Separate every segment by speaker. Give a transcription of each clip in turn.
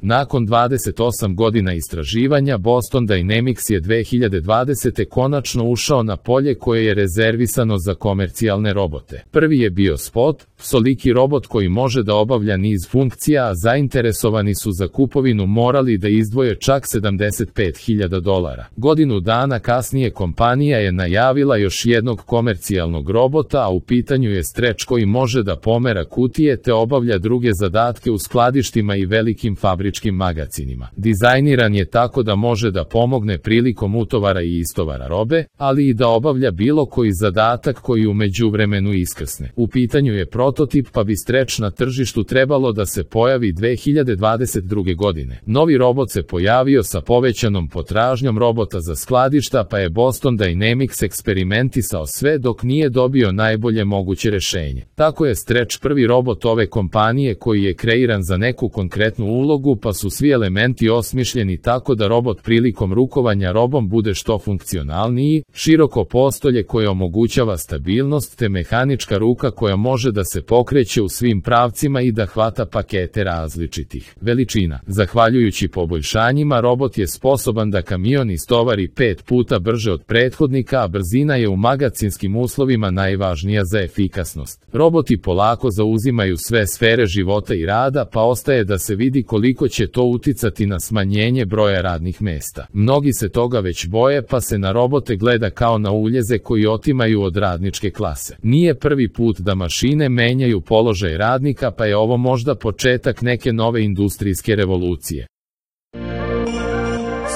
Speaker 1: Nakon 28 godina istraživanja, Boston Dynamics je 2020. konačno ušao na polje koje je rezervisano za komercijalne robote. Prvi je bio Spot, psoliki robot koji može da obavlja niz funkcija, a zainteresovani su za kupovinu morali da izdvoje čak $75.000. Godinu dana kasnije kompanija je najavila još jednog komercijalnog robota, a u pitanju je Stretch koji može da pomera kutije te obavlja druge zadatke u skladištima i velikim fabričkim magacinima. Dizajniran je tako da može da pomogne prilikom utovara i istovara robe, ali i da obavlja bilo koji zadatak koji u međuvremenu iskrsne. U pitanju je prototip, pa bi Stretch na tržištu trebalo da se pojavi 2022. godine. Novi robot se pojavio sa povećanom potražnjom robota za skladišta, pa je Boston Dynamics eksperimentisao sve dok nije dobio najbolje moguće rešenje. Tako je Stretch prvi robot ove kompanije koji je kreiran za neku konkretnu ulogu, pa su svi elementi osmišljeni tako da robot prilikom rukovanja robom bude što funkcionalniji, široko postolje koje omogućava stabilnost te mehanička ruka koja može da se pokreće u svim pravcima i da hvata pakete različitih veličina. Zahvaljujući poboljšanjima, robot je sposoban da kamion istovari 5 puta brže od prethodnika, a brzina je u magacinskim uslovima najvažnija za efikasnost. Roboti polako zauzimaju sve sfere života i rada, pa ostaje da se vidi koliko će to uticati na smanjenje broja radnih mesta. Mnogi se toga već boje, pa se na robote gleda kao na uljeze koji otimaju od radničke klase. Nije prvi put da mašine menjaju položaj radnika, pa je ovo možda početak neke nove industrijske revolucije.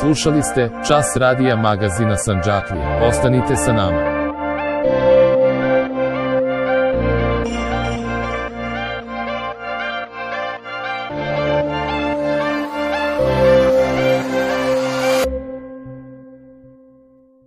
Speaker 1: Slušali ste Čas radija magazina Sandžaklija. Ostanite sa nama.